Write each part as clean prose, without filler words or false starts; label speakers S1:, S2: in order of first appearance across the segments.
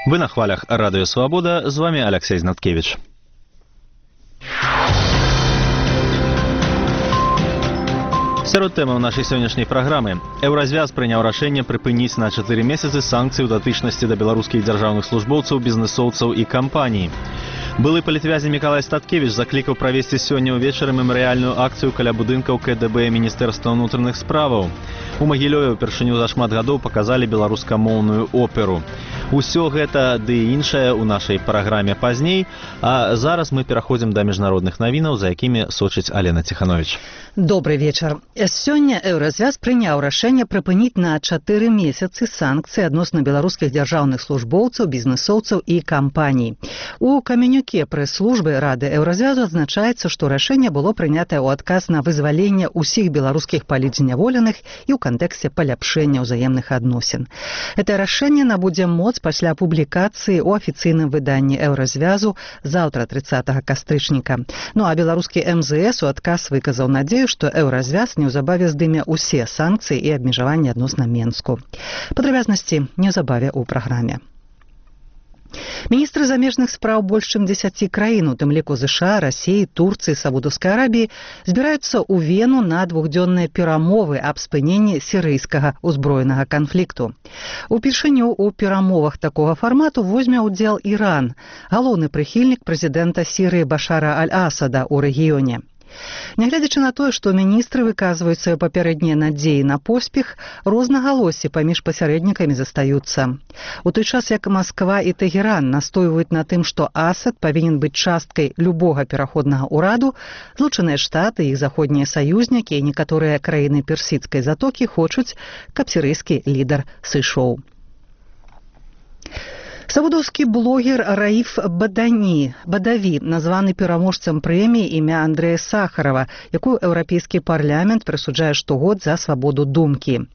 S1: Вы на хвалях Радио Свобода, з вами Алексей Знаткевич. Сярод тэмаў нашай сённяшняй праграмы. Еўразвяз прыняў рашэнне прыпыніць на 4 месяцы санкцыі ў датычнасці да беларускіх дзяржаўных службоўцаў, бізнэсоўцаў і кампаній. Былы палітвязень Мікалай Статкевіч заклікаў правесці сёння ўвечары мемарыяльную акцыю каля будынкаў КДБ Міністэрства ўнутраных справаў. У Магілёве ўпершыню за шмат гадоў паказалі беларускамоўную оперу. Усё гэта ды і іншае ў нашай праграме пазней, а зараз мы пераходзім да міжнародных навінаў, за якімі сочыць Алена Ціхановіч.
S2: Добрый вечар. Сёння Еўразвяз прыняў рашэнне прыпыніць на 4 месяцы санкцыі адносна беларускіх дзяржаўных службоўцаў, бізнэсоўцаў і кампаній. У каменюке прэс-службы Рады Еўразвязу адзначаецца, што рашэнне было прынятае ў адказ на вызваленне ўсіх беларускіх палітзняволеных і ў кантэксце паляпшэння ўзаемных адносін. Гэта рашэнне набудзе моц пасля публікацыі ў афіцыйным выданні Еўразвязу заўтра 30 кастрычніка. Ну а беларускі МЗС у адказ выказаў надзею, што Еўразвяз неўзабаве здыме ўсе санкцыі і абмежаванні адносна Менску. Падрабязнасці неўзабаве ў праграме. Міністры замежных спраў больш чым 10 краін, у тым ліку ЗША, Расіі, Турцыі, Саудаўскай Арабіі, збіраюцца ў Вену на двухдзённыя перамовы аб спыненні сірыйскага ўзброенага канфлікту. Упершыню ў перамовах такога фармату возьме ўдзел Іран, галоўны прыхільнік прэзідэнта Сірыі Башара Аль-Асада ў рэгіёне. Нягледзячы на тое, што міністры выказваюць свае папярэднія надзеі на поспех, рознагалоссі паміж пасярэднікамі застаюцца. У той час, як Масква і Тэгеран настойваюць на тым, што Асад павінен быць часткай любога пераходнага ўраду, Злучаныя Штаты, іх заходнія саюзнікі і некаторыя краіны Персідскай затокі хочуць, каб сірыйскі лідар сышоў. Саудаўскі блогер Раиф Бадаві названы пераможцам прэміі імя Андрэя Сахарова, якую Еўрапейскі парламент прысуджае штогод за свабоду думкі.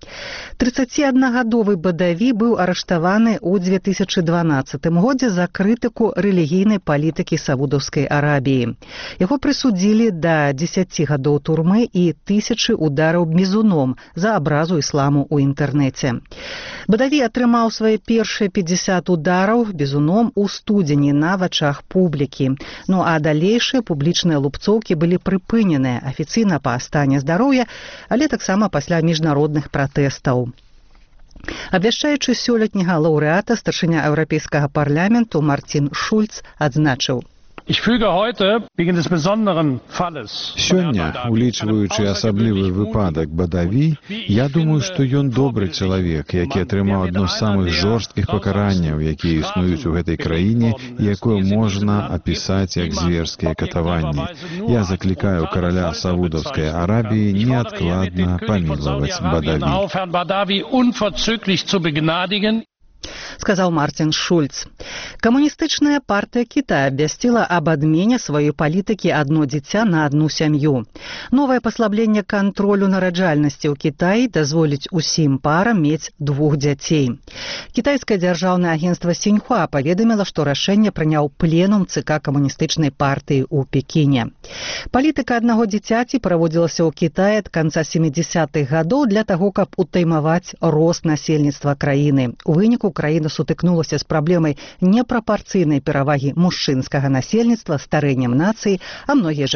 S2: 31-гадовы Бадаві быў арыштаваны ў 2012 годзе за крытыку рэлігійнай палітыкі Саудаўскай Арабіі. Яго прысудзілі да 10 гадоў турмы і 1000 удараў бізуном за абразу ісламу ў інтэрнэце. Бадаві атрымаў свае першыя 50 удараў бізуном у студзені на вачах публікі. Ну а далейшыя публічныя лупцоўкі былі прыпыненыя афіцыйна па стане здароўя, але таксама пасля міжнародных пратэстаў. Абвяшчаючы сёлетняга лаўрэата, старшыня Еўрапейскага парламенту Мартин Шульц адзначыў:
S3: Сёння, улічваючы асаблівы выпадак Бадаві, я думаю, што ён добры чалавек, які атрымаў адно з самых жорсткіх пакаранняў, якія існуюць у гэтай краіне, якое можна апісаць як зверскія катаванні. Я заклікаю караля Саудаўскай Арабіі неадкладна памілаваць Бадаві.
S2: Сказаў Мартин Шульц. Камуністычная партыя Кітая абвясціла аб адмене сваёй палітыкі «Адно дзіця на адну сям'ю». Новае паслабленне кантролю нараджальнасці ў Кітаі дазволіць усім парам мець 2 дзяцей. Кітайскае дзяржаўнае агенцтва Сіньхуа паведаміла, што рашэнне прыняў пленум ЦК камуністычнай партыі ў Пекіне. Палітыка аднаго дзіцяці праводзілася ў Кітаі ад канца 70-х гадоў для таго, каб утаймаваць рост насельніцтва краіны. У выніку краіна сутыкнулася з праблемай непрапарцыйнай перавагі мужчынскага насельніцтва, старэннем нацыі, а многія